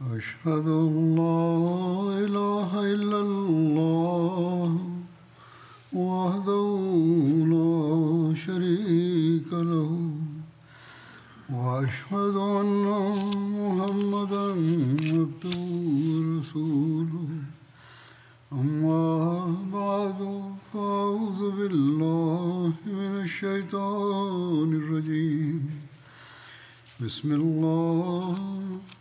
أشهد أن لا إله إلا الله وحده لا شريك له وأشهد أن محمدا عبده ورسوله. أما بعد، فأعوذ بالله من الشيطان الرجيم. بسم الله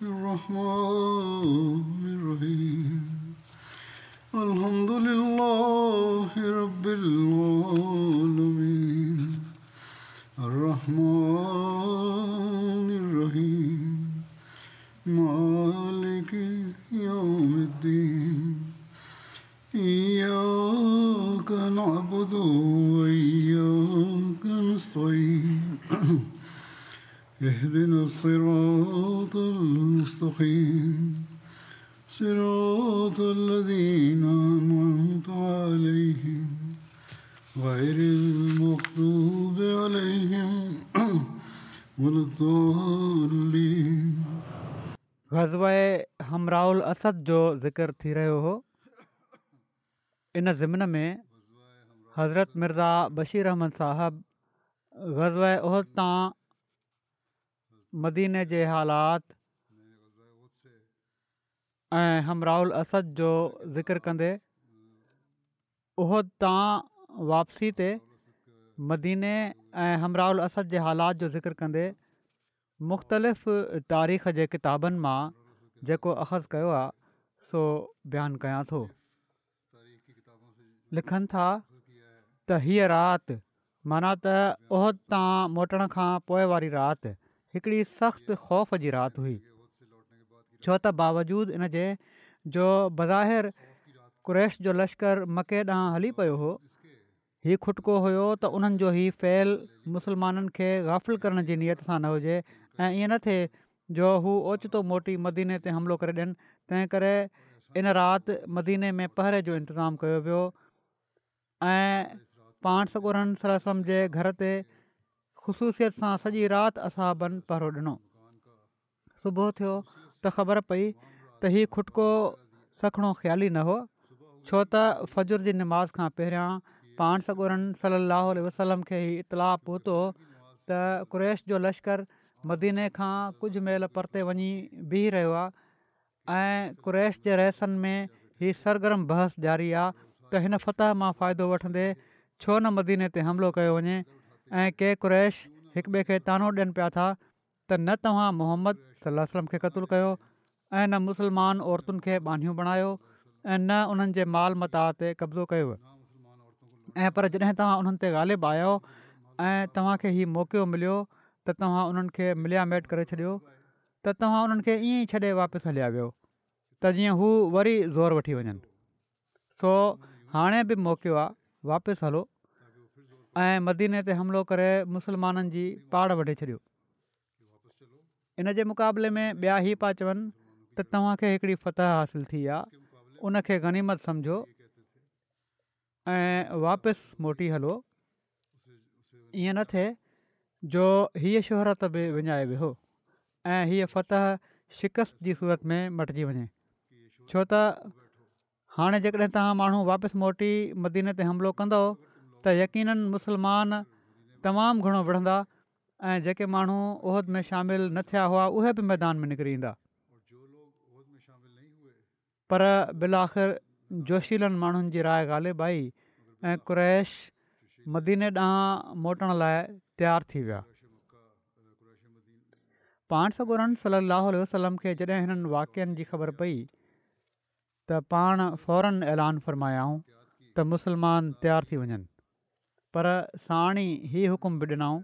الرحمن الرحيم. الحمد لله رب العالمين. الرحمن الرحيم. مالك يوم الدين. إياك نعبد وإياك نستعين. اهدنا الصراط المستقيم. صراط الذين أنعمت عليهم غير المغضوب عليهم ولا الضالين. غزوه حمراء الاسد جو ذڪر ٿي رهيو هو. ان ضمن ۾ حضرت مرزا بشير احمد صاحب غزوه احد تان مديني جي حالات ۽ حمراء الاسد جو ذڪر ڪندي احد تان واپسي تي مديني ۽ حمراء الاسد جي حالات جو ذڪر ڪندي مختلف تاريخ جي ڪتابن مان جيڪو اخذ ڪيو آهي سو بيان ڪيان ٿو. لکن ٿا ته هيء رات معنيٰ ته احد تان موٽڻ کان پوء واري رات هڪڙي سخت خوف جي رات هئي ڇو ته باوجود ان جي جو بظاهر قريش جو لشڪر مڪي ڏانهن هلي پيو هو هي کٽڪو هيو ته انهن جو هي فعل مسلمانن کي غافل ڪرڻ جي نيت سان نه هجي ۽ ائين نه ٿئي جو هو اوچتو موٽي مديني تي حملو ڪري ڏين تنهن ڪري ان رات مديني ۾ پهري جو انتظام ڪيو ويو ۽ پاڻ سڳورن صلي الله عليه وسلم جي گهر تي خصوصيت سان سڄي رات اصحابن پهرو ڏنو. صبح ٿيو ته خبر پئي ته هي کٽڪو سکڻو خيالي نه هو، ڇو ته فجر جي نماز کان پهريان پاڻ سڳورن صلي الله عليه وسلم کي هي اطلاع پهتو ته قريش جو لشڪر مديني کان ڪجهه ميل پرتي وڃي بيهي رهيو آهي ۽ قريش جي رئيسن ۾ هي سرگرم بحث جاري آهي ته هن فتح مان فائدو وٺندي ڇو نه مديني تي حملو ڪيو وڃي ۽ ڪي قريش هڪٻئي کي طعنو ڏين پيا ٿا ته نه توهان محمد صلي الله عليه وسلم کي قتل ڪيو ۽ نه مسلمان عورتن کي ٻانهيون بڻايو ۽ نه انهن جي مال متاع تي قبضو ڪيو ۽ پر جڏهن توهان انهن تي غالب آيو ۽ توهان کي هي موقعو مليو ته توهان انهن کي مليا ميٽ ڪري ڇڏيو ته توهان انهن کي ائين ئي ڇڏي واپس هليا ويو ته جيئن هو وري زور وٺي وڃن سو هاڻي به موقعو آ واپس هلو ۽ مديني تي حملو ڪري مسلمانن جي پاڙ وڍي ڇڏيو. ان جي مقابلي ۾ ٻيا هي پيا چون ته توهان کي هڪڙي فتح حاصل ٿي آ ان کي غنيمت سمجهو ۽ واپس موٽي هلو ائين نه ٿئي جو هيء شهرت به وڃائي ويهو ۽ هيء فتح شڪست جي صورت ۾ مٽجي وڃي ڇو ته هاڻي جيڪڏهن توهان ماڻهو واپس موٽي مديني تي حملو ڪندؤ ته يقيناً مسلمان تمام گهڻو وڙهندا ۽ جيڪي ماڻهو احد ۾ شامل نه ٿيا هئا اهي به ميدان ۾ نڪري ايندا. پر بالاخر جوشيلن ماڻهن جي راء غالب آئي ۽ قريش مديني ڏانهن موٽڻ لاء تيار ٿي ويا. پاڻ سڳورن صلي الله عليه وسلم کي جڏهن هنن واقعن جي خبر پئي ته پاڻ فوراً اعلان فرمايائون ته مسلمان تيار ٿي وڃن پر ساڻ ئي هي حڪم به ڏنائون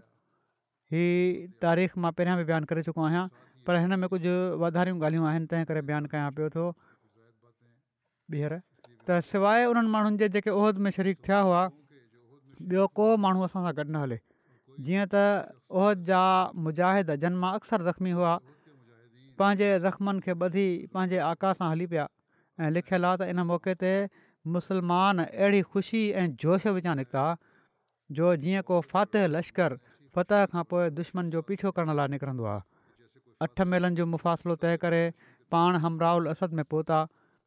هي تاريخ مان پهريان به بيان ڪري چڪو آهيان پر هن ۾ ڪجهه واڌاريون ڳالهيون آهن تنهن ڪري بيان ڪيان پيو ٿو ٻيهر ته سواء انهن ماڻهن جي جيڪي احد ۾ شريڪ ٿيا هئا ٻيو ڪو ماڻهو اسان سان گڏ نه هلي جيئن ته احد جا مجاهد جن مان اڪثر زخمي هئا پنهنجي زخمن کي ٻڌي پنهنجي آقا سان هلي پيا ۽ لکيل آ ته ان موقعي تي مسلمان اهڙي خوشي ۽ جوش وچان نڪتا جو جيئن ڪو فاتح لشڪر فتح کان پوء دشمن جو پيڇو ڪرڻ لاء نڪرندو آ. اٺ ميلن جو مفاصلو طئي ڪري پاڻ حمراء الاسد ۾ پهتا،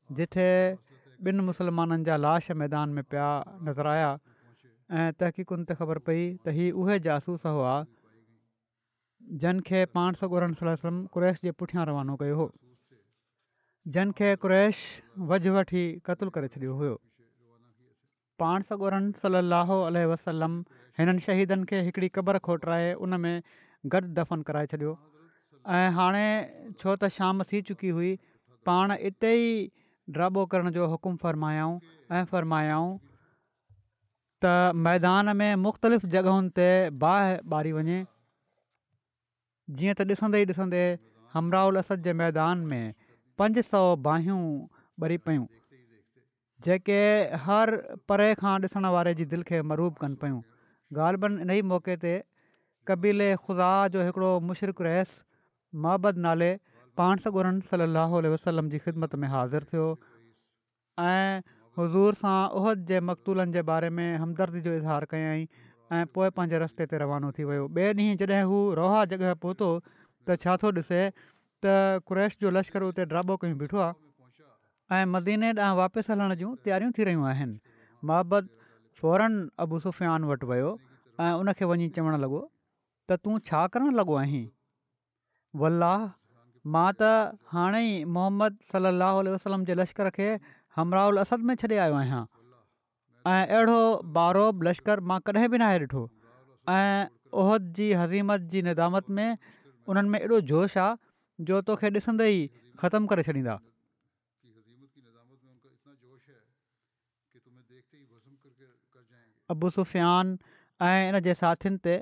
جتي ٻن مسلمانن جا لاش ميدان ۾ پيا نظر آيا ۽ تحقيقن تي خبر پئي ته هي اهي جاسوس هئا، جن کي پاڻ سڳورن صلي الله عليه وسلم قريش جي پٺيان روانو ڪيو هو. جن کي قريش وجهه وٺي قتل ڪري ڇڏيو هيو. پاڻ سڳورن صلي الله عليه وسلم هنن شهيدن کي هڪڙي قبر کوٽرائي ان ۾ گڏ دفن ڪرائي ڇڏيو ۽ هاڻي ڇو ته شام ٿي چڪي هئي پاڻ اتي ئي ڊاٻو ڪرڻ جو حڪم فرمايائون ۽ فرمايائون ته ميدان ۾ مختلف جڳهن تي باهه ٻاري وڃي، جيئن ته ڏسندي ئي ڏسندي حمراء الاسد جي ميدان ۾ 500 باهيون ٻري پيون، جيڪي هر پري کان ڏسڻ واري جي دل کي مرعوب ڪن پيون. غالباً انهي موقعي تي قبيلي خزاعه جو هڪڙو مشرڪ رئيس معبد نالي پاڻ سڳورن صلي الله عليه وسلم جي خدمت ۾ حاضر ٿيو ۽ حضور سان احد جي مقتولن جي باري ۾ همدردي جو اظهار ڪيائين ۽ پوء پنهنجي رستي تي روانو ٿي ويو. ٻئي ڏينهن جڏهن هو روحا جڳهه پهتو ته ڇا ٿو ڏسي ته قريش جو لشڪر اتي ڊاٻو ڪيون بيٺو آهي. ۽ مديني ڏانهن واپس هلڻ جون تياريون ٿي رهيون آهن. معبد فوراً ابو سفيان وٽ ويو ۽ ان کي وڃي چوڻ لڳو ته تون ڇا ڪرڻ لڳو آهين؟ والله مان ته هاڻي ئي محمد صلي الله عليه وسلم جي لشڪر کي حمراء الاسد ۾ ڇڏي آيو آهيان ۽ اهڙو بارعب لشڪر مان ڪڏهن به ناهي ڏٺو ۽ احد جي هزيمت جي ندامت ۾ انهن ۾ ايڏو جوش آ جو توکي ڏسندي ئي ختم ڪري ڇڏيندا. ابو سفيان ۽ ان جي ساٿين تي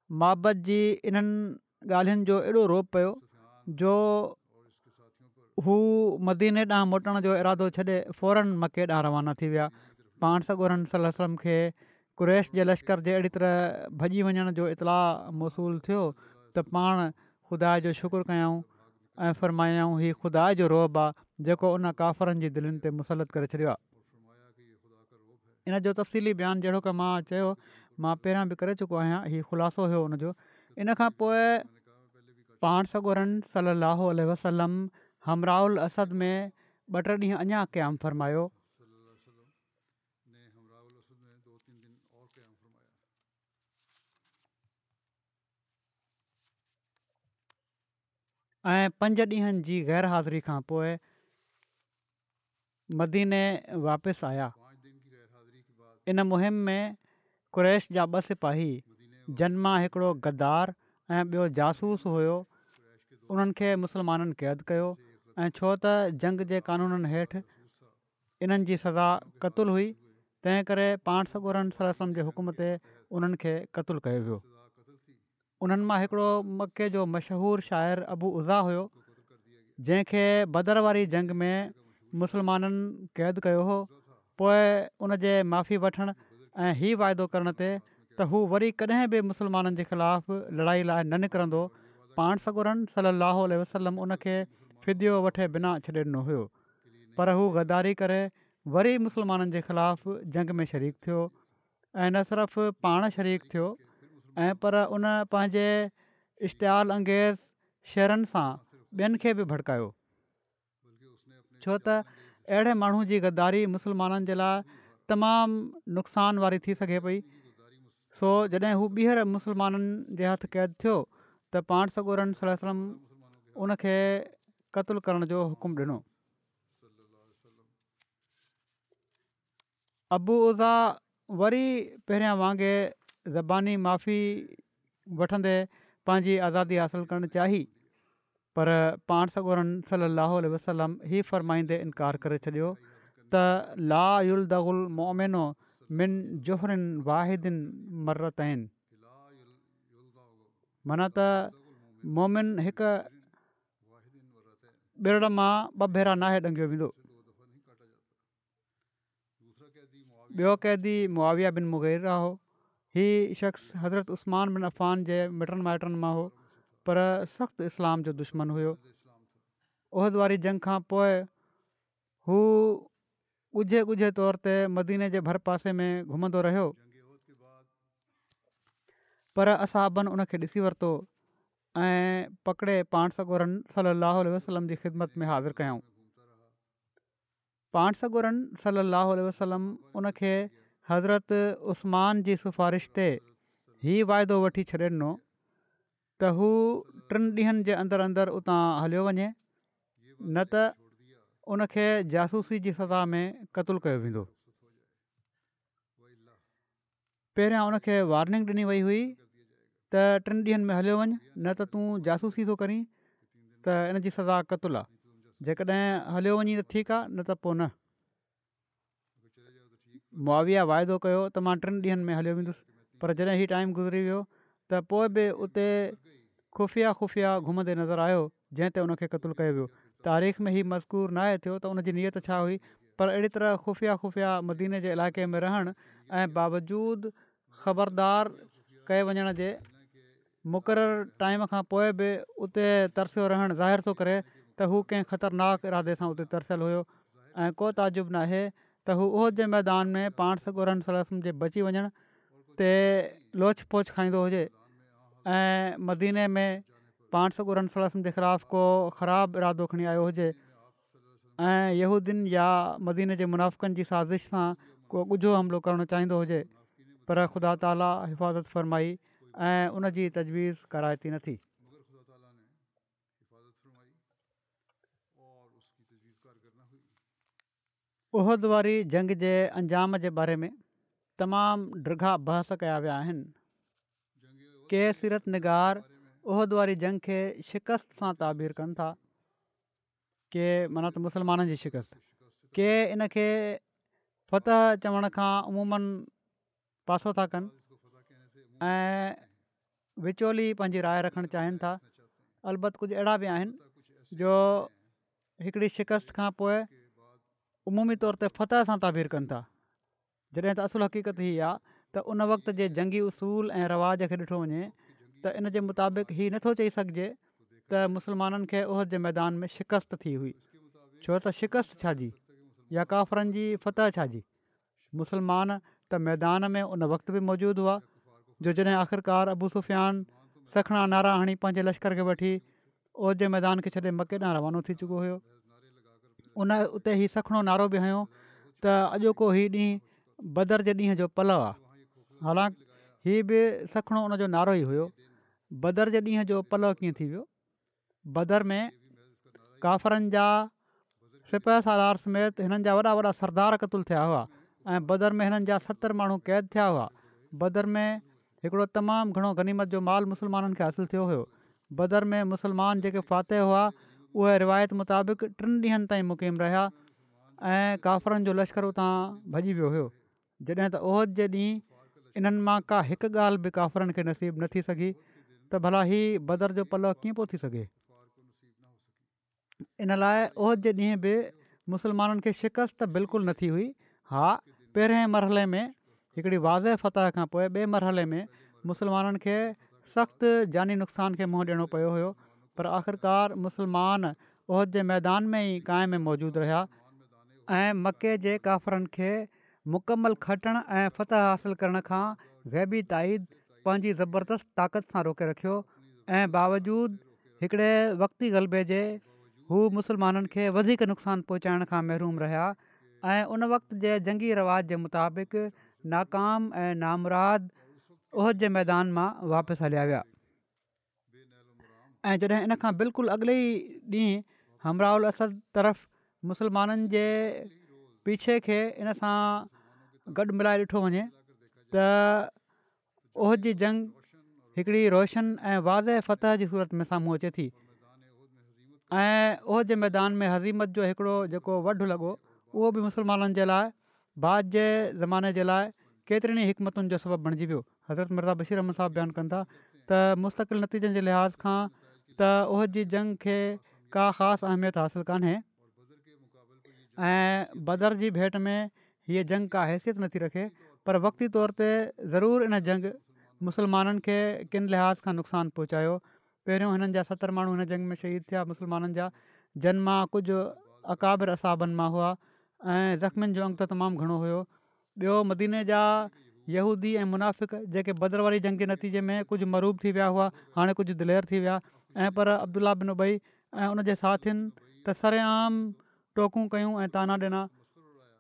معبد جي انهن ڳالهين جو ايڏو رعب پيو جو هو مديني ڏانهن موٽڻ جو ارادو ڇڏي فوراً مڪي ڏانهن روانا ٿي ويا. پاڻ سڳورن صلي الله عليه وسلم کي قريش جي لشڪر جي اهڙي طرح ڀڄي وڃڻ جو اطلاع موصول ٿيو ته پاڻ خدا جو شڪر ڪيائون ۽ فرمايائون هي خدا جو رعب آ جيڪو ان ڪافرن جي دلين تي مسلط ڪري ڇڏيو آ. ان جو تفصيلي بيان جهڙوڪ مان چيو مان پهريان به ڪري چڪو آهيان هي خلاصو هيو ان جو ان کان پوء پاڻ سڳورن صلي الله عليه وسلم حمراء الاسد ۾ ٻه ٽي ڏينهن اڃا قيام فرمايو. ۽ پنج ڏينهن جي غير حاضري کان پوء مديني واپس آيا. ان مهم ۾ قريش جا ٻه سپاهي جن مان هڪڙو غدار ۽ ٻيو جاسوس هيو انهن کي مسلمانن قيد ڪيو ۽ ڇو ته جنگ جي قانونن هيٺ انهن جي سزا قتل هئي تنهن ڪري پاڻ سڳورن صلي الله عليه وسلم جي حڪم تي انهن کي قتل ڪيو ويو. انهن مان هڪڙو مڪي جو مشهور شاعر ابو عزه هيو، جنهن کي بدر واري جنگ ۾ مسلمانن قيد ڪيو هو، پوء ان جي معافي وٺڻ ۽ هي واعدو ڪرڻ تي ته هو وري ڪڏهن به مسلمانن جي خلاف لڙائي لاء نه نڪرندو، پاڻ سڳورن صلي الله عليه وسلم ان کي فديو وٺي بنا ڇڏي ڏنو هيو، پر هو غداري ڪري وري مسلمانن جي خلاف جنگ ۾ شريڪ ٿيو. ۽ نه صرف پاڻ شريڪ ٿيو ۽ پر ان پنهنجي اشتعال انگيز شعرن سان ٻين کي به ڀڙڪايو ڇو ته اهڙي ماڻهو جي غداري مسلمانن جي لاء تمام نقصان واري ٿي سگهي پئي سو جڏهن هو ٻيهر مسلمانن جي هٿ قيد ٿيو ته پاڻ سڳورن صلي الله عليه وسلم ان کي قتل ڪرڻ جو حڪم ڏنو. ابو عزه وري پهريان وانگي زباني معافي وٺندي پنهنجي آزادي حاصل ڪرڻ چاهي پر پاڻ سڳورن صلي الله عليه وسلم هي فرمائيندي انڪار ڪري ڇڏيو ته لا يلدغ المؤمن من جحر واحد مرتين معنيٰ ته مؤمن هڪ ٻرڙ مان ٻه ڀيرا ناهي ڏنگيو ويندو. ٻيو قيدي معاويه بن مغيره هو. هي شخص حضرت عثمان بن عفان جي مٽن مائٽن مان هو، پر سخت اسلام جو دشمن هيو. احد واري جنگ کان پوء هو ڳجهي ڳجهي طور تي مديني جي ڀر پاسي ۾ گهمندو رهيو، پر اصحابن ان کي ڏسي ورتو. ۽ پڪڙي پاڻ سڳورن صلّي اللّٰه عليه وسلّم جي خدمت ۾ حاضر ڪيائون. پاڻ سڳورن صلّي اللّٰه عليه وسلّم ان کي حضرت عثمان جي سفارش تي هي واعدو وٺي ڇڏي ڏنو ته هو ٽن ڏينهن جي اندر اندر اتان هليو وڃي نه ته ان کي جاسوسي جي سزا ۾ قتل ڪيو ويندو. پهريان ان کي وارننگ ڏني وئي هئي ته ٽن ڏينهن ۾ هليو وڃ نه ته تون جاسوسي ٿو ڪرين ته ان جي سزا قتل آ جيڪڏهن هليو وڃين ته ٺيڪ آ نه ته پوء نه. معاويه واعدو ڪيو ته مان ٽن ڏينهن ۾ هليو ويندس پر جڏهن هي ٽائيم گذري ويو ته پوء به اتي خفيه خفيه گهمندي نظر آيو جنهن تي ان کي قتل ڪيو ويو. تاريخ ۾ هي مذڪور ناهي ٿيو ته ان جي نيت ڇا هئي پر اهڙي طرح خفيه خفيه مديني جي علائقي ۾ رهڻ ۽ باوجود خبردار ڪئي وڃڻ جي مقرر ٽائيم کان پوء به اتي ترسيو رهڻ ظاهر ٿو ڪري ته هو ڪنهن خطرناڪ ارادي سان اتي ترسيل هيو ۽ ڪو تعجب ناهي ته هو احد جي ميدان ۾ پاڻ سڳورن صلي الله عليه وسلم جي بچي وڃڻ تي لوڇ پوڇ کائيندو هجي ۽ مديني ۾ پاڻ سڳورن صلي الله عليه وسلم جي خلاف ڪو خراب ارادو کڻي آيو هجي ۽ يهودين يا مديني جي منافقن جي سازش سان ڪو ڳجهو حملو ڪرڻ چاهيندو هجي پر خدا تعالي حفاظت فرمائي ۽ ان جي تجويز ڪارائتي نه ٿي. احد واري جنگ جي انجام جي باري ۾ تمام ڊگها بحث ڪيا ويا آهن. ڪي سيرت نگار احد واري جنگ کي شڪست سان تعبير ڪن ٿا، ڪي معنيٰ ته مسلمانن جي شڪست، ڪي ان کي فتح چوڻ کان عموماً پاسو ٿا ڪن ۽ وچولي پنهنجي راء رکڻ چاهين ٿا. البت ڪجهه اهڙا به آهن جو هڪڙي شڪست کان پوء عمومي طور تي فتح سان تعبير ڪن ٿا جڏهن ته اصل حقيقت هي آ ته ان وقت جي جنگي اصول ۽ رواج کي ڏٺو وڃي ته ان جي مطابق هي نٿو چئي سگهجي ته مسلمانن کي احد جي ميدان ۾ شڪست ٿي هئي ڇو ته شڪست ڇا جي يا ڪافرن جي فتح ڇا جي مسلمان ته ميدان ۾ ان وقت به موجود هئا جو جڏهن آخرڪار ابو سفيان سکڻا نعرا هڻي پنهنجي لشڪر کي وٺي احد جي ميدان کي ڇڏي مڪي ڏانهن روانو ٿي چڪو هيو. ان اتي هي سکڻو نعرو به هنيو ته اڄوڪو هي ڏينهن بدر جي ڏينهن جو پلئه آ. حالانڪ هي به سکڻو ان جو نعرو ئي هيو. بدر جي ڏينهن جو پلئه ڪيئن ٿي ويو؟ بدر ۾ ڪافرن جا سپهه سالار سميت هنن جا وڏا وڏا سردار قتل ٿيا هئا ۽ بدر ۾ هنن جا 70 ماڻهو قيد ٿيا هئا. بدر ۾ هڪڙو تمام گهڻو غنيمت جو مال مسلمانن کي حاصل ٿيو هيو. بدر ۾ مسلمان جيڪي فاتح هئا اهي روايت مطابق ٽن ڏينهن تائين مقيم رهيا ۽ ڪافرن جو لشڪر اتان ڀڄي ويو هيو. جڏهن ته احد جي ڏينهن انهن مان ڪا هڪ ڳالهه به ڪافرن کي نصيب نه ٿي سگهي ته ڀلا هي بدر جو پلئه ڪيئن پيو ٿي سگهي؟ ان لاء احد جي ڏينهن به مسلمانن کي شڪست ته بلڪل نه ٿي هئي. ها پهرئين مرحلي ۾ هڪڙي واضح فتح کان پوء ٻئي مرحلي ۾ مسلمانن کي سخت جاني نقصان کي منهن ڏيڻو پيو هيو پر آخرڪار مسلمان احد جي ميدان ۾ ئي قائم ۽ موجود رهيا ۽ مڪي جي ڪافرن کي مڪمل کٽڻ ۽ فتح حاصل ڪرڻ کان غيبي تائيد پنهنجي زبردست طاقت سان روڪي رکيو ۽ باوجود هڪڙي وقتي غلبي جي هو مسلمانن کي وڌيڪ نقصان پهچائڻ کان محروم رهيا ۽ ان وقت جي جنگي رواج جي مطابق ناڪام ۽ نامراد احد جي ميدان مان واپس هليا ويا. ۽ جڏهن ان کان بلڪل اڳلي ئي ڏينهن حمراء الاسد طرف مسلمانن جي پيڇي کي ان سان گڏ ملائي ڏٺو وڃي ته احد جي جنگ هڪڙي روشن ۽ واضح فتح جي صورت ۾ سامهون اچي ٿي ۽ احد جي ميدان ۾ هزيمت جو هڪڙو جيڪو وڍ لڳو اهو به مسلمانن جي لاء بعد جي زماني جي لاء ڪيترين ئي حڪمتن جو سبب بڻجي ويو. حضرت مرزا بشير احمد صاحب بيان ڪن ٿا ته مستقل نتيجن جي لحاظ کان ته احد جي جنگ کي ڪا خاص اهميت حاصل ڪانهي ۽ بدر جي ڀيٽ ۾ هيء جنگ ڪا حيثيت نٿي رکي پر وقتي طور تي ضرور ان جنگ مسلمانن کي ڪن لحاظ کان نقصان پهچايو. پهريون هنن جا 70 ماڻهو هن جنگ ۾ شهيد ٿيا مسلمانن جا جن مان ڪجهه اڪابر اصحابن مان هئا ۽ زخمين جو انگ ته تمام گهڻو هيو. ٻيو مديني جا يهودي ۽ منافق جيڪي بدر واري جنگ جي نتيجي ۾ ڪجهه مرعوب ٿي ويا هئا، هاڻي ڪجهه دلير ٿي ويا ۽ پر عبدالله بن ابي ۽ ان جي ساٿين ته سرعام ٽوڪون ڪيون ۽ طعنا ڏنا.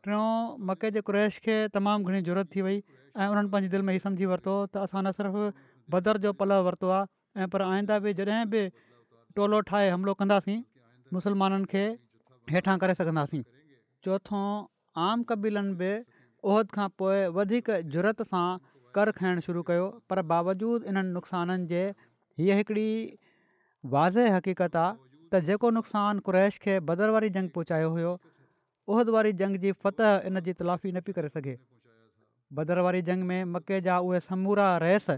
ٽيون، مڪي جي قريش کي تمام گهڻي جرئت ٿي وئي ۽ انهن پنهنجي دل ۾ هي سمجهي ورتو ته اسان نه صرف بدر جو پلئه ورتو آهي ۽ پر آئنده به جڏهن به ٽولو ٺاهي حملو ڪنداسين مسلمانن کي هيٺان ڪري سگهنداسين. چوٿون، عام قبيلن به احد کان پوء وڌيڪ جرئت سان ڪر کڻڻ شروع ڪيو پر باوجود انهن نقصانن جي هيء هڪڙي واضح حقيقت آ ته جيڪو نقصان قريش کي بدر واري جنگ پهچايو هيو احد واري جنگ جي فتح ان جي تلافي نه پئي ڪري سگهي. بدر واري جنگ ۾ مڪي جا اهي سمورا رئيس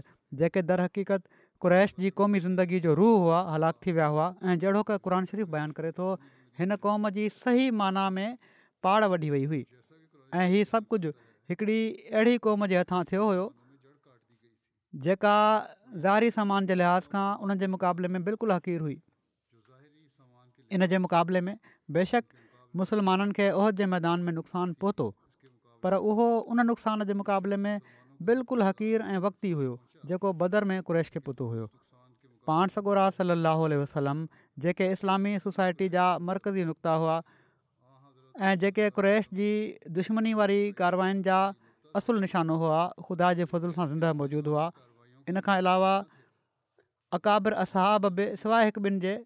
جيڪي درحقيقت قريش جي قومي زندگي جو روح هئا هلاڪ ٿي ويا هئا ۽ جهڙوڪ قرآن شريف بيان ڪري ٿو هن قوم جي صحيح معنيٰ ۾ پاڙ وڍي وئي هئي ۽ هي سڀ ڪجهه هڪڙي اهڙي قوم جي هٿان ٿيو هيو جيڪا ظاهري سامان جي لحاظ کان انهن جي مقابلي ۾ بلڪل حقير هئي. ان جي مقابلي ۾ بيشڪ مسلمانن کي احد جي ميدان ۾ نقصان پهتو پر اهو ان نقصان جي مقابلي ۾ بلڪل حقير ۽ وقتي هيو جيڪو بدر ۾ قريش کي پهتو هيو. پاڻ سڳورا صلي الله عليه وسلم جيڪي اسلامي سوسائٽي جا مرڪزي نقطا هئا ۽ جيڪي قريش جي دشمني واري ڪارواين جا اصل نشانو هئا خدا جي فضل سان زنده موجود هئا ان کان علاوه اڪابر اصحاب به سواء هڪ ٻن جي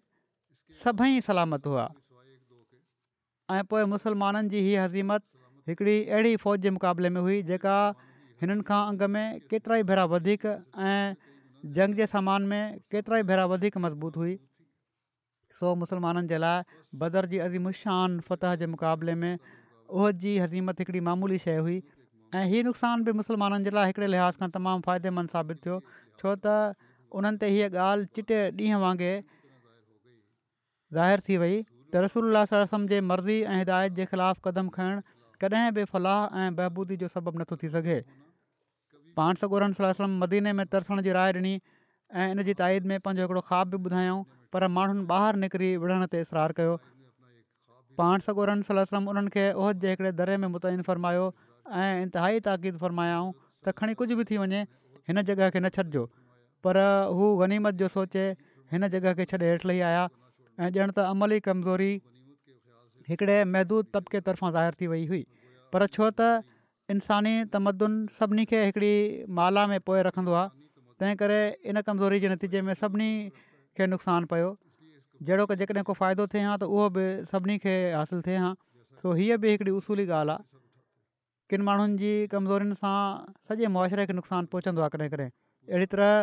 سڀئي سلامت هئا ۽ پوء مسلمانن جي هيء هزيمت هڪڙي اهڙي فوج جي مقابلي ۾ هئي جيڪا هنن کان انگ ۾ ڪيترائي ڀيرا وڌيڪ ۽ جنگ جي سامان ۾ ڪيترائي ڀيرا وڌيڪ مضبوط هئي. سو مسلمانن جي لاء بدر جي عظيم الشان فتح جي مقابلي ۾ احد جي هزيمت هڪڙي معمولي شيء هئي ۽ هي نقصان به مسلمانن جي لاء هڪڙي لحاظ کان تمام فائديمند ثابت ٿيو ڇو ته انهن تي هيء ڳالهه چٽي ڏينهن وانگي ظاهر ٿي وئي ته رسول الله صلي الله عليه وسلم جي مرضي ۽ هدايت جي خلاف قدم کڻڻ ڪڏهن به فلاح ۽ بهبودي جو سبب نٿو ٿي سگهي. پاڻ سڳورن صلي الله عليه وسلم مديني ۾ ترسڻ جي راء ڏني ۽ ان جي تائيد ۾ پنهنجو هڪڙو خواب به ٻڌايائون پر ماڻهن ٻاهر نڪري وڙهڻ تي اصرار ڪيو. پاڻ سڳورن صلي الله عليه وسلم انهن کي احد جي هڪڙي دري ۾ متعين فرمايو ۽ انتهائي تاڪيد فرمايائون ته کڻي ڪجهه به ٿي وڃي هن جڳهه کي نه ڇڏجو پر هو غنيمت جو سوچي هن جڳهه کي ڇڏي هيٺ لهي آيا ۽ ڄڻ ته عملي ڪمزوري هڪڙي محدود طبقي طرفان ظاهر ٿي وئي هئي پر ڇو ته انساني تمدن سڀني کي هڪڙي مالا ۾ پوئي رکندو آهي تنهن ڪري ان ڪمزوري جي نتيجي ۾ سڀني کي نقصان پيو جهڙوڪ جيڪڏهن ڪو فائدو ٿئي ها ته اهو به سڀني کي حاصل ٿئي ها سو هيء به هڪڙي اصولي ڳالهه آهي ڪن ماڻهن جي ڪمزورين سان سڄي معاشري کي نقصان پهچندو آهي ڪڏهن ڪڏهن اهڙي طرح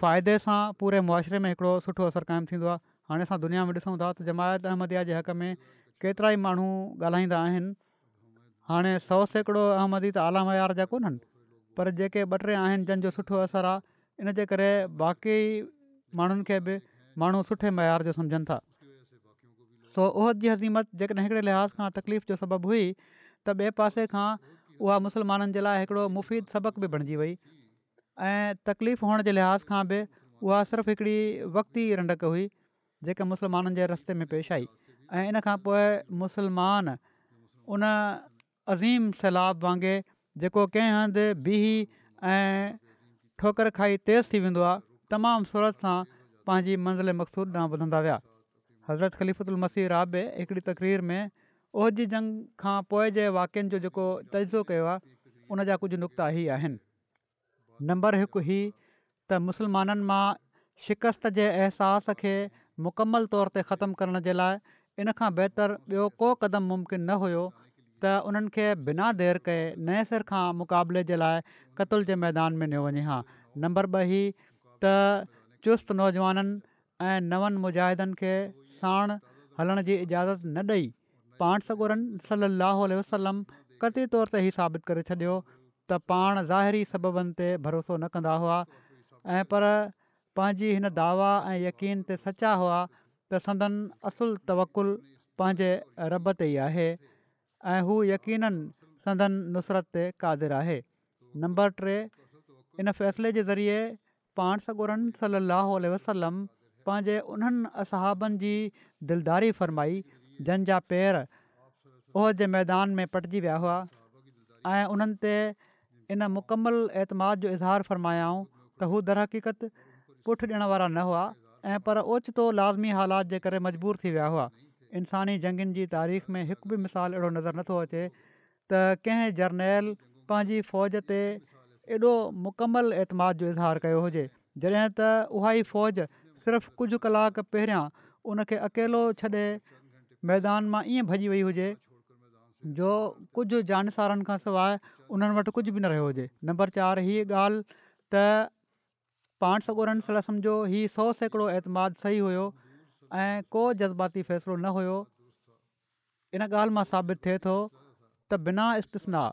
فائدي سان پوري معاشري ۾ هڪڙو سٺو اثر قائم ٿيندو آهي هاڻي اسان دنيا ۾ ڏسون ٿا ته جماعت احمديه جي حق ۾ ڪيترائي ماڻهو ڳالهائيندا آهن هاڻي 100% احمدي ته اعليٰ معيار جا ڪونهن پر جيڪي ٻه ٽي آهن جن جو سٺو اثر آهي ان جي ڪري باقي ماڻهن کي به ماڻهو سٺي معيار جو سمجهن ٿا سو احد جي هزيمت جيڪڏهن هڪڙي لحاظ کان تڪليف جو سبب هئي ته ٻئي پاسي کان اها مسلمانن جي لاء هڪڙو مفيد سبق به بڻجي وئي ۽ تڪليف هئڻ جي لحاظ کان به اها صرف هڪڙي وقتي رنڊڪ هئي جيڪا مسلمانن جي رستي ۾ پيش آئي ۽ ان کان پوء مسلمان ان عظيم سيلاب وانگي جيڪو ڪنهن هنڌ بيهي ۽ ٺوڪر کائي تيز ٿي ويندو آهي تمام سرعت سان پنهنجي منزل مقصود ڏانهن وڌندا ويا. حضرت خليفة المسيح رابع هڪڙي تقرير ۾ احد جي جنگ کان پوء جي واقعن جو جيڪو تجزيو ڪيو آهي ان جا ڪجهه نڪتا هي آهن. نمبر هڪ هي ته مسلمانن مان شڪست جي احساس کي مڪمل طور تي ختم ڪرڻ جي لاء ان کان بهتر ٻيو ڪو قدم ممڪن نه هيو ته انهن کي بنا دير ڪئي نئين سر کان مقابلي جي لاء قتل جي ميدان ۾ نيو وڃي ها. نمبر ٻه هي ته چست نوجوانن ۽ نون مجاهدن کي ساڻ هلڻ جي اجازت نه ڏئي پاڻ سڳورن صلّي اللّٰه عليه وسلّم قطعي طور تي هي ثابت ڪري ڇڏيو ته پاڻ ظاهري سببن تي ڀروسو نه ڪندا هئا ۽ پر پنهنجي هن دعويٰ ۽ يقين تي سچا هئا ته سندن اصل توڪل پنهنجي رب تي ئي آهي ۽ هو يقيناً سندن نصرت تي قادر آهي. نمبر ٽي، ان فيصلي جي ذريعي پاڻ سڳورن صلّي اللّٰه عليه وسلّم پنهنجي انهن اصحابن جي دلداري فرمائي جن جا پير احد جي ميدان ۾ پٽجي ويا هئا ۽ انهن تي ان مڪمل اعتماد جو اظهار فرمايائون ته هو درحقيقت پٺ ڏيڻ وارا نه هئا ۽ پر اوچتو لازمي حالات جي ڪري مجبور ٿي ويا هئا. انساني جنگين جي تاريخ ۾ هڪ به مثال اهڙو نظر نٿو اچي ته ڪنهن جرنيل پنهنجي فوج تي ايڏو مڪمل اعتماد جو اظهار ڪيو هجي جڏهن ته اها ئي فوج صرف ڪجهه ڪلاڪ پهريان ان کي اڪيلو ڇڏي ميدان مان ائين ڀڄي وئي هجي جو ڪجهه جانثارن کان سواء انهن وٽ ڪجهه به نه رهيو هجي. نمبر چار هيء ڳالهه ته پاڻ سڳورن صلي الله عليه وسلم جو هي 100% اعتماد صحيح هيو ۽ ڪو جذباتي فيصلو نه هيو. ان ڳالهه مان ثابت ٿئي ٿو ته بنا استثناء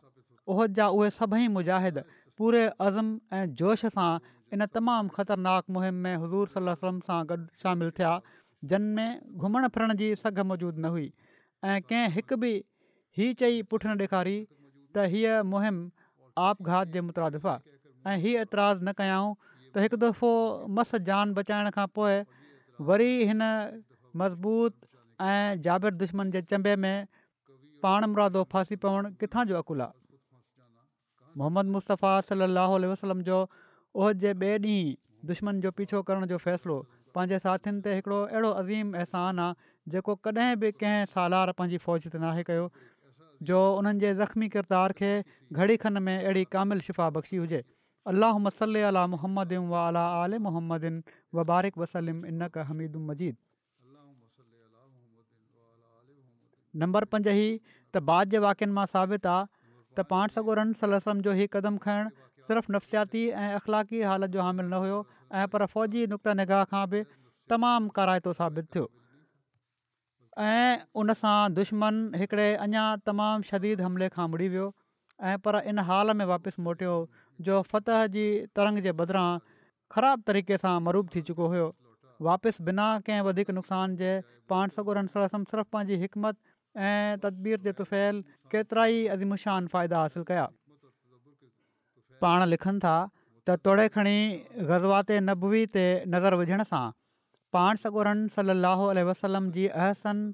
احد جا اهي سڀئي مجاهد پوري عزم ۽ جوش سان ان تمام خطرناڪ مهم ۾ حضور صلي الله عليه وسلم سان گڏ شامل ٿيا جن ۾ گهمڻ ڦرڻ جي سگهه موجود نه هئي ۽ ڪنهن هڪ به هي چئي پٺ نه ڏيکاري ته هيء مهم آپگهات جي مترادف آ ۽ هي اعتراض نه ڪيائون ته هڪ دفعو مس جان بچائڻ کان پوء وري هن مضبوط ۽ جابر دشمن جي چنبي ۾ پاڻمرادو ڦاسي پوڻ ڪٿان جو عقل آ. محمد مصطفيٰ صلي الله عليه وسلم جو احد جي ٻئي ڏينهن دشمن جو پيڇو ڪرڻ جو فيصلو پنهنجي ساٿين تي هڪڙو اهڙو عظيم احسان آ جيڪو ڪڏهن به ڪنهن سالار پنهنجي فوج تي ناهي ڪيو جو انهن جي زخمي ڪردار کي گهڙي کن ۾ اهڙي ڪامل شفا بخشي هجي اللهم صل علي محمد وعلي آل محمد وبارڪ وسلم انڪ حميد مجيد. نمبر 5 هي ته بعد جي واقعن مان ثابت آ ته پاڻ سڳورن صلي الله عليه وسلم جو هي قدم کڻڻ صرف نفسياتي ۽ اخلاقي حالت جو حامل نه هيو ۽ پر فوجي نقطه نگاهه کان به تمام ڪارائتو ثابت ٿيو ۽ ان سان دشمن هڪڙي اڃا تمام شديد حملي کان مڙي ويو ۽ پر ان حال ۾ واپس موٽيو جو فتح جي ترنگ جي بدران خراب طريقي سان مرعوب ٿي چڪو هيو. واپس بنا ڪنهن وڌيڪ نقصان جي پاڻ سڳورن صلي الله عليه وسلم صرف پنهنجي حڪمت ۽ تدبير جي طفيل ڪيترائي عظيم الشان فائدا حاصل ڪيا. پاڻ لکن ٿا ته توڙي کڻي غزوات نبوي تي نظر وجهڻ سان پاڻ سڳورن صلّي اللّٰه عليه وسلّم جي احسن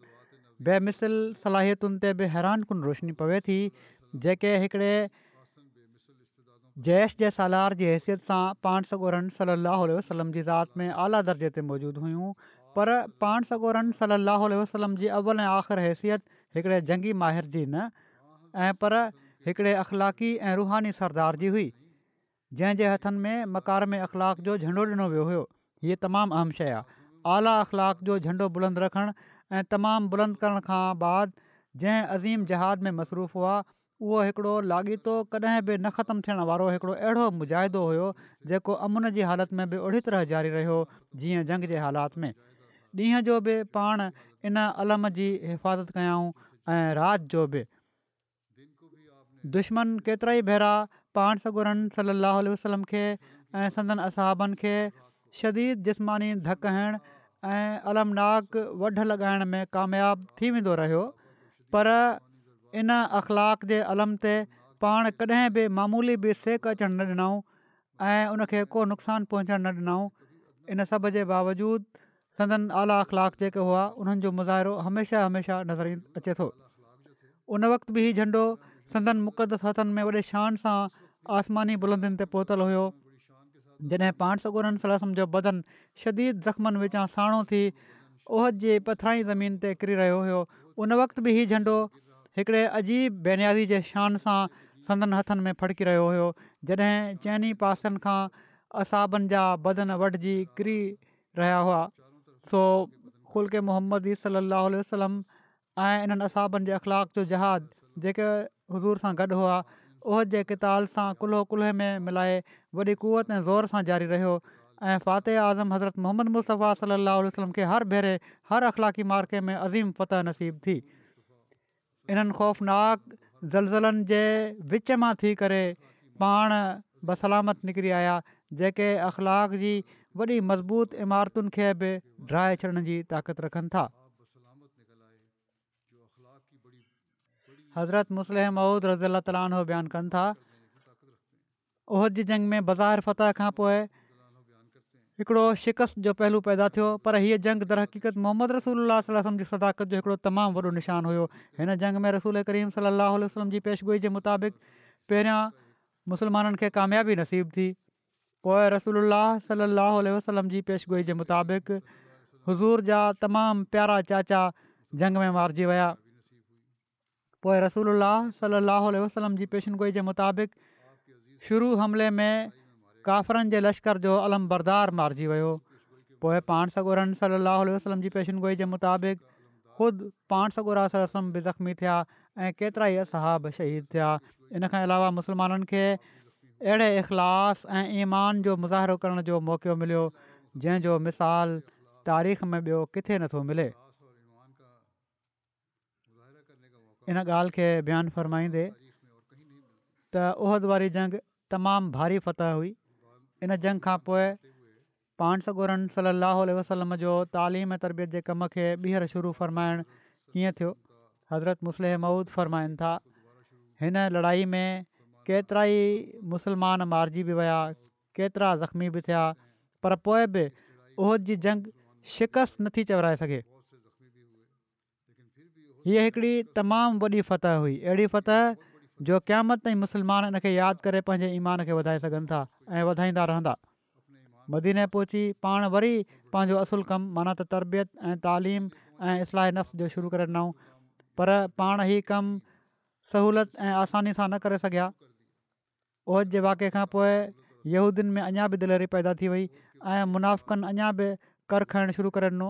بي مثل صلاحيتن تي به حيران ڪن روشني پوي ٿي جيڪي هڪڙي جيش جي سالار جي حيثيت سان پاڻ سڳورن صلّي اللّٰه عليه وسلّم جي ذات ۾ اعليٰ درجي تي موجود هيون پر پاڻ سڳورن صلّي اللّٰه عليه وسلّم جي اول ۽ آخر حيثيت هڪڙي جنگي ماهر جي نه ۽ پر هڪڙي اخلاقي ۽ روحاني سردار جي هئي. جنهن جي هٿن ۾ مڪارم اخلاق جو جهنڊو ڏنو ويو هيو. هيء تمام اهم شيء آهي. اعليٰ اخلاق جو جهنڊو بلند رکڻ ۽ تمام بلند ڪرڻ کان بعد جنهن عظيم جهاد ۾ مصروف هئا، اهو هڪڙو لاڳيتو ڪڏهن به نه ختم ٿيڻ وارو هڪڙو اهڙو مجاهدو هيو، جيڪو امن جي حالت ۾ به اهڙي طرح جاري رهيو، جيئن جنگ جي حالات ۾. ڏينهن جو به پاڻ ان علم جي حفاظت ڪيائون ۽ رات جو به. دشمن ڪيترائي ڀيرا پاڻ سڳورن صلّي اللّٰه عليه وسلّم کي ۽ سندن اصحابن کي شديد جسماني ڌڪ هڻڻ ۽ المناڪ وڍ لڳائڻ ۾ ڪامياب ٿي ويندو رهيو پر ان اخلاق جي علم تي پاڻ ڪڏهن به معمولي به سيڪ اچڻ نه ڏنائون ۽ ان کي ڪو نقصان پهچڻ نه ڏنائون ان سڀ جي باوجود سندن اعليٰ اخلاق جيڪي هئا انهن جو مظاهرو هميشه هميشه نظر اچي ٿو. ان وقت به هي جهنڊو سندن مقدس هٿن ۾ وڏي شان سان آسماني بلندين تي پهتل هيو جڏهن پاڻ سڳورن صلي الله عليه وسلم جو بدن شديد زخمن وچان ساڻو ٿي احد جي پٿرائين زمين تي ڪري رهيو هيو ان وقت به هي جهنڊو هڪڙي عجيب بي نيازي جي شان سان سندن هٿن ۾ ڦڙڪي رهيو هيو جڏهن چئني پاسن کان اصحابن جا بدن وڍجي ڪري رهيا هئا سو خلق محمدي صلي الله عليه وسلم ۽ انهن اصحابن جي اخلاق جو جهاد جيڪي حضور سان گڏ هئا احد جي قتال سان ڪلهو ڪلهي ۾ ملائي وڏي قوت ۽ زور سان جاري رهيو ۽ فاتح اعظم حضرت محمد مصطفيٰ صلي الله عليه وسلم کي هر ڀيري هر اخلاقي معرڪي ۾ عظيم فتح نصيب ٿي. انهن خوفناڪ زلزلن جي وچ مان ٿي ڪري پاڻ بسلامت نڪري آيا جيڪي اخلاق جي وڏي مضبوط عمارتن کي به ڊاهي ڇڏڻ جي طاقت رکن ٿا. حضرت مصلح موعود رضي الله تعالٰي عنه بيان ڪن ٿا. احد جي جنگ ۾ بظاهر فتح کان پوء هڪڙو شڪست جو پهلو پيدا ٿيو پر هيء جنگ درحقيقت محمد رسول الله صلي الله عليه وسلم جي صداقت جو هڪڙو تمام وڏو نشان هيو. هن جنگ ۾ رسول ڪريم صلي الله عليه وسلم جي پيشگوئي جي مطابق پهريان مسلمانن کي ڪاميابي نصيب ٿي. پوء رسول الله صلي الله عليه وسلم جي پيشگوئي جي مطابق حضور جا تمام پيارا چاچا جنگ ۾ مارجي ويا. پوء رسول الله صلي الله عليه وسلم جي پيشن گوئي جي مطابق شروع حملي ۾ ڪافرن جي لشڪر جو علمبردار مارجي ويو. پوء پاڻ سڳورن صلي الله عليه وسلم جي پيشن گوئي جي مطابق خود پاڻ سڳورا صلي الله عليه وسلم به زخمي ٿيا ۽ ڪيترائي اصحاب شهيد ٿيا. ان کان علاوه مسلمانن کي اهڙي اخلاص ۽ ايمان جو مظاهرو ڪرڻ جو موقعو مليو جنهن جو مثال تاريخ ۾ ٻيو ڪٿي نٿو ملي. ان ڳالهه کي بيان فرمائيندي ته احد واري جنگ تمام ڀاري فتح هئي ان جنگ کان پوء پاڻ سڳورن صلي الله عليه وسلم جو تعليم ۽ تربيت جي ڪم کي ٻيهر شروع فرمائڻ ڪيئن ٿيو حضرت مصلح موعود فرمائن ٿا هن لڙائي ۾ ڪيترائي مسلمان مارجي به ويا ڪيترا زخمي به ٿيا پر پوء به احد جي جنگ شڪست نٿي چورائي سگهي. هيء هڪڙي تمام وڏي فتح هئي، اهڙي فتح جو قيامت تائين مسلمان ان کي ياد ڪري پنهنجي ايمان کي وڌائي سگهن ٿا ۽ وڌائيندا رهندا. مديني پهچي پاڻ وري پنهنجو اصل ڪم معنيٰ ته تربيت ۽ تعليم ۽ اصلاح نفس جو شروع ڪري ڏنائون پر پاڻ هي ڪم سهولت ۽ آساني سان نه ڪري سگهيا. احد جي واقعي کان پوء يهودين ۾ اڃا به دليري پيدا ٿي وئي ۽ منافقن اڃا به ڪر کڻڻ شروع ڪري ڏنو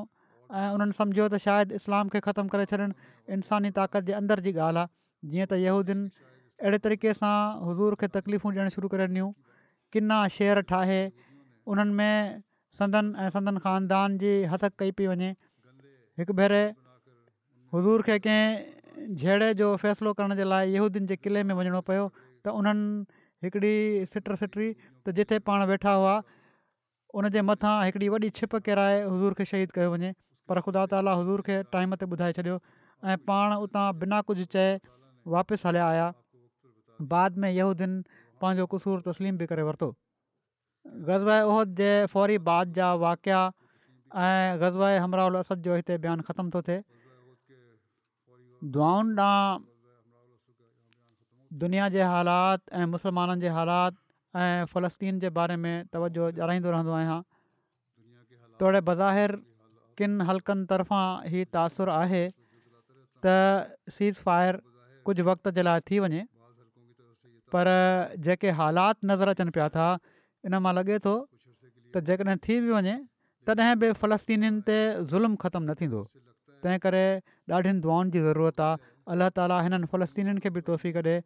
۽ انهن سمجهيو ته شايد اسلام کي ختم ڪري ڇڏڻ انساني طاقت جي اندر جي ڳالهه آهي جيئن ته يهودين اهڙي طريقي سان حضور کي تڪليفون ڏيڻ شروع ڪري ڏنيون ڪنا شعر ٺاهي انهن ۾ سندن ۽ سندن خاندان جي هتڪ ڪئي پئي وڃي هڪ ڀيري حضور کي ڪنهن جهيڙي جو فيصلو ڪرڻ جي لاء يهودين جي قلعي ۾ وڃڻو پيو ته انهن هڪڙي سٽ سٽي ته جتي پاڻ ويٺا هئا ان جي مٿان هڪڙي وڏي ڇپ ڪيرائي حضور کي شهيد ڪيو وڃي پر خدا تعاليٰ حضور کي ٽائيم تي ٻڌائي ڇڏيو ۽ پاڻ اتان بنا ڪجهه چئي واپس هليا آيا بعد ۾ يهودين پنهنجو قصور تسليم به ڪري ورتو. غزوه احد جي فوري بعد جا واقعا ۽ غزوه حمراء الاسد جو هتي بيان ختم ٿو ٿئي. دعائن ڏانهن دنيا جي حالات ۽ مسلمانن جي حالات ۽ فلسطين جي باري ۾ توجهه ڏيارائيندو رهندو آهيان. توڙي بظاهر ڪن حلقن طرفان هي تاثر آهي ته سيز فائر ڪجهه وقت جي لاء ٿي وڃي پر جيڪي حالات نظر اچن پيا ٿا ان مان لڳي ٿو ته جيڪڏهن ٿي به وڃي تڏهن به فلسطينين تي ظلم ختم نه ٿيندو تنهن ڪري ڏاڍين دعائن جي ضرورت آهي الله تعالي هنن فلسطينين کي به توفيق ڏي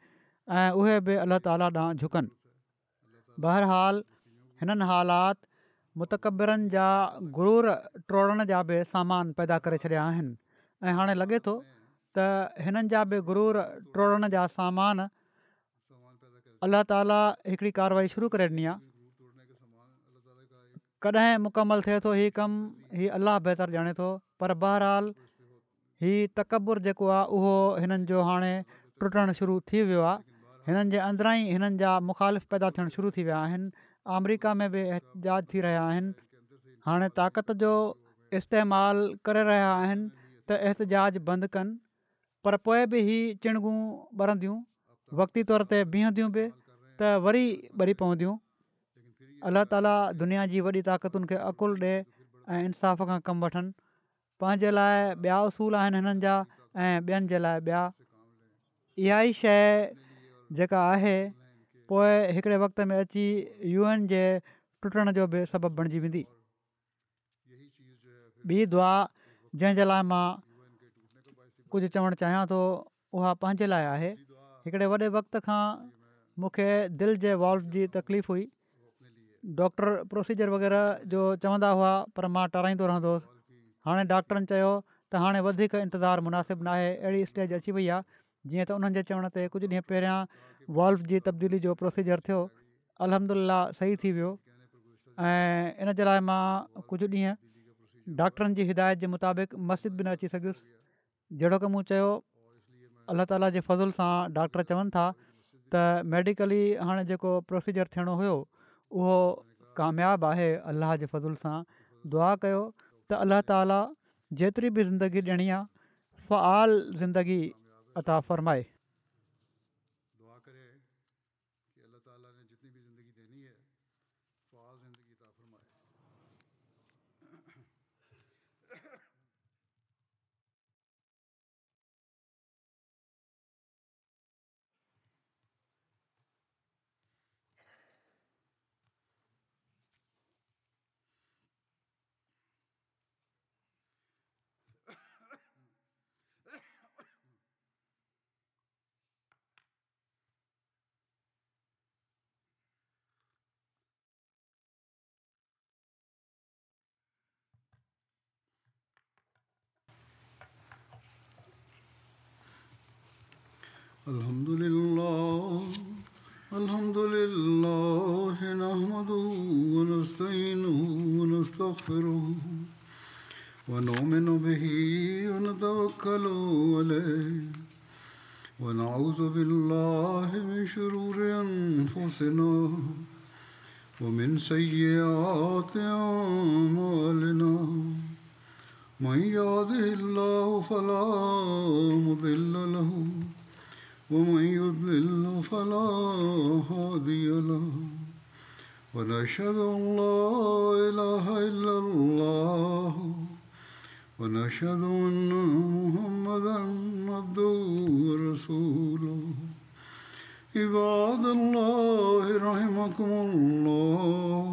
۽ اهي به الله تعالي ڏانهن جهڪن. بهرحال هنن حالات متڪبرن جا غرور ٽوڙڻ جا به سامان پيدا ڪري ڇڏيا آهن ۽ هاڻي لڳي ٿو ته هنن جا به غرور ٽوڙڻ جا سامان الله تعالي هڪڙي ڪارروائي شروع ڪري ڏني آهي ڪڏهن مڪمل ٿئي ٿو هي ڪم هي الله بهتر ڄاڻي ٿو پر بهرحال هي تڪبر جيڪو آهي اهو هنن جو هاڻي ٽٽڻ شروع ٿي ويو آهي. هنن جي اندران ئي هنن جا مخالف پيدا ٿيڻ شروع ٿي ويا آهن. آمريڪا ۾ به احتجاج ٿي رهيا آهن. هاڻي طاقت جو استعمال ڪري رهيا آهن ته احتجاج بند ڪن پر پوء به هي چڻگون ٻرنديون، وقتي طور تي بيهنديون به ته وري ٻري پونديون. الله تعالي دنيا جي وڏي طاقتن کي عقل ڏي ۽ انصاف کان ڪم وٺن. پنهنجي لاء ٻيا اصول آهن هنن جا ۽ ٻين جي لاء ٻيا. اها ئي شيء جيڪا آهي پوء هڪڙي وقت ۾ اچي يو اين جي ٽٽڻ جو به سبب بڻجي ويندي. ٻي دعا جنهن جي لاء مان ڪجهه چوڻ چاهيان ٿو اها پنهنجي لاء آهي. هڪڙي وڏي وقت کان مون کي دل جي والو جي تڪليف هئي. ڊاڪٽر پروسيجر وغيره جو چوندا هئا پر مان ٽارائيندو رهندو هوس. هاڻي ڊاڪٽرن چيو ته هاڻي وڌيڪ انتظار مناسب ناهي اهڙي اسٽيج اچي وئي آهي جيئن ته انهن جي چوڻ تي ڪجهه ڏينهن پهريان والو جي تبديلي جو پروسيجر ٿيو الحمدلله صحيح ٿي ويو ۽ ان جي لاء مان ڪجهه ڏينهن ڊاڪٽرن جي هدايت جي مطابق مسجد به نه اچي سگهيس. جهڙوڪ مون چيو الله تعالي جي فضل سان ڊاڪٽر چون ٿا ته ميڊيڪلي هاڻي جيڪو پروسيجر ٿيڻو هيو اهو ڪامياب آهي الله جي فضل سان دعا ڪيو ته الله تعالي جيتري به زندگي ڏيڻي آهي فعال زندگي عطا فرمائي. الحمد لله الحمد لله نحمده ونستعينه ونستغفره ونؤمن به ونتوكل عليه ونعوذ بالله من شرور أنفسنا ومن سيئات أعمالنا من يهده الله فلا مضل له ومن يضلل فلا هادي له ونشهد أن لا إله إلا الله ونشهد أن محمدا عبده ورسوله. عباد الله رحمكم الله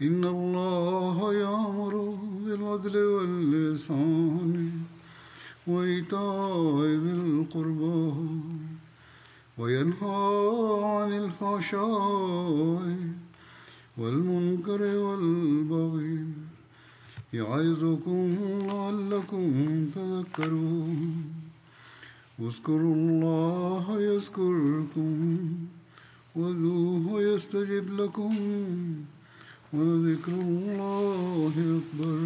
إن الله يأمر بالعدل والإحسان وإيتاء ذي القربى وينهى عن الفحشاء والمنكر والبغي يعظكم لعلكم تذكرون. اذكروا الله يذكركم وادعوه يستجب لكم ولذكر الله أكبر.